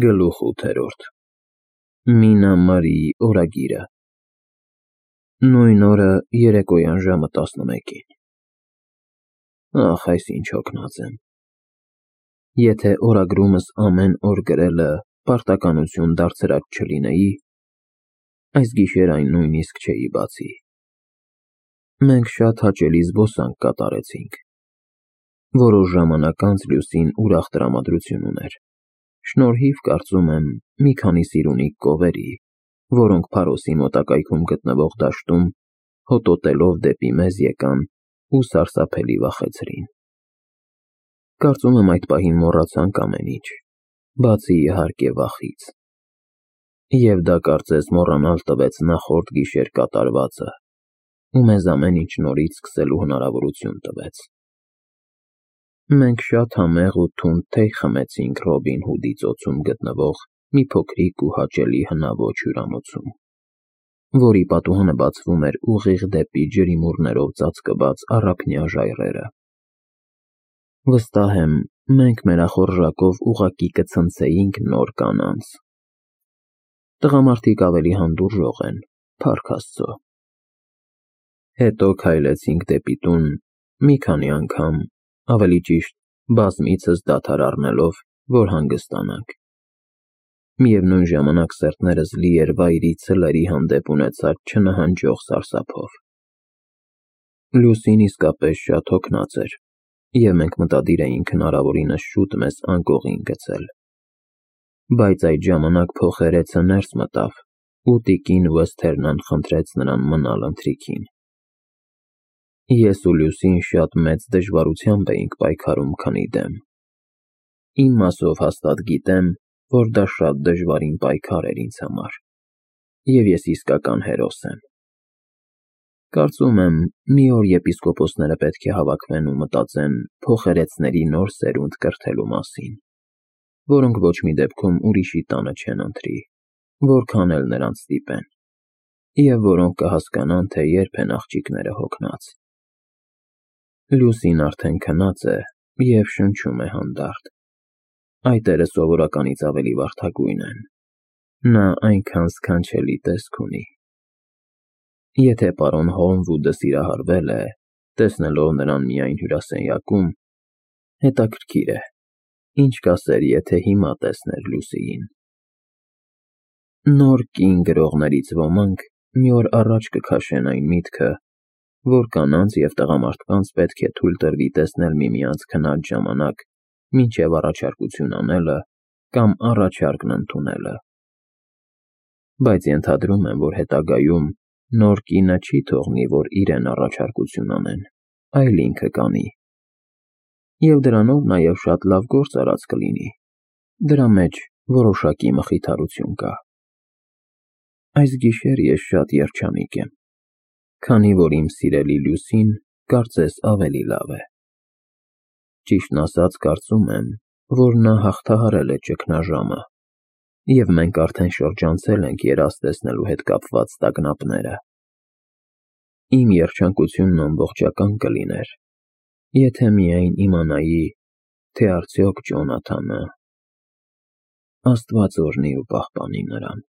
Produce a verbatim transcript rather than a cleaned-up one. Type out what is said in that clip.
Գլուխ ութերորդ Մինա Մարիի օրագիրը Նույն օրը երեկոյան ժամը տասնմեկին Ախ, այս ինչ հոգնած եմ։ Եթե օրագրումս ամեն օր գրելը պարտականություն դարձրած չլինեի, այս գիշեր այն նույնիսկ չէի բացի։ Մենք շատ հաճելի զբոսանք կատարեցինք։ Որոշ ժամանակ անց Լուսին ուրախ տրամադրություն ուներ, շնորհիվ, կարծում եմ, մի քանի սիրունիկ կովերի, որոնք Փարոսի մոտակայքում գտնվող դաշտում հոտոտելով դեպի մեզ եկան ու սարսափելի վախեցրին։ Կարծում եմ այդ պահին մոռացանք ամեն ինչ, բացի իհարկե վախից։ Եվ դա կարծես մոռանալ տվեց նախորդ գիշեր կատարվածը ու մեզ ամեն ինչ նորից սկսելու հնարավորություն տվեց։ Մենք շատ համեղ ու թունդ թեյ խմեցինք Ռոբին Հուդի ծոցում գտնվող մի փոքրիկ ու հաճելի հնաոճ հյուրանոցում, որի պատուհանը բացվում էր ուղիղ դեպի ջրիմուռներով ծածկված առափնյա ժայռերը։ Վստահ եմ, մենք մերախորժակով ուղղակի կցնցեինք նոր կանանց։ Տղամարդիկ ավելի հանդուրժող են, փառք Աստծո։ Հետո քայլեցինք դեպի տուն, մի քանի անգամ, ավելի ճիշտ, բազմիցս դադար առնելով, որ հանգստանանք։ Միևնույն ժամանակ սերտներս լի էր վայրի ցլերի հանդեպ ունեցած չնահանջող սարսափով։ Լուսին իսկապես շատ հոգնած էր, և մենք մտադիր էինք հնարավորինս շուտ մեզ անկողին գցել։ Բայց այդ ժամանակ փոխերեցը ներս մտավ, ու տիկին Վեսթերնան խնդրեց նրան մնալ ընթրիքին։ Ես ու Լուսին շատ մեծ դժվարությամբ էինք պայքարում քնի դեմ։ Իմ մասով հաստատ գիտեմ, որ դա շատ դժվարին պայքար էր ինձ համար, և ես իսկական հերոս եմ։ Կարծում եմ, մի օր եպիսկոպոսները պետք է հավաքվեն ու մտածեն փոխերեցների նոր սերունդ կրթելու մասին, որոնք ոչ մի դեպքում ուրիշի տանը չեն ընթրի, որքան էլ նրանց ստիպեն, և որոնք կհասկանան, թե երբ են աղջիկները հոգնած։ Լուսին արդեն քնած է և շնչում է հանդարտ։ Այտերը սովորականից ավելի վարդագույն են։ Նա այնքան սքանչելի տեսք ունի։ Եթե պարոն Հոլմվուդը սիրահարվել է, տեսնելով նրան միայն հյուրասենյակում, հետաքրքիր է, ինչ կասեր, եթե հիմա տեսներ Լուսիին։ Նոր կին գրողներից ոմանք մի օր առաջ կքաշեն այն միտքը, որ կանանց և տղամարդկանց պետք է թույլ տրվի տեսնել միմյանց քնած ժամանակ մինչև առաջարկություն անելը կամ առաջարկն ընդունելը։ Բայց ենթադրում եմ, որ հետագայում նոր կինը չի թողնի, որ իրեն առաջարկություն անեն, այլ ինքը կանի։ Եվ դրանով նաև շատ լավ գործ արած կլինի, դրա մեջ որոշակի մխիթարություն կա։ Այս գիշեր ես շատ երջանիկ եմ, քանի որ իմ սիրելի Լուսին կարծես ավելի լավ է։ Ճիշտն ասած, կարծում եմ, որ նա հաղթահարել է ճգնաժամը, և մենք արդեն շրջանցել ենք երազ տեսնելու հետ կապված տագնապները։ Իմ երջանկությունն ամբողջական կլիներ, եթե միայն իմանայի, թե արդյոք Ջոնաթանը… Աստված օրհնի ու պահպանի նրան։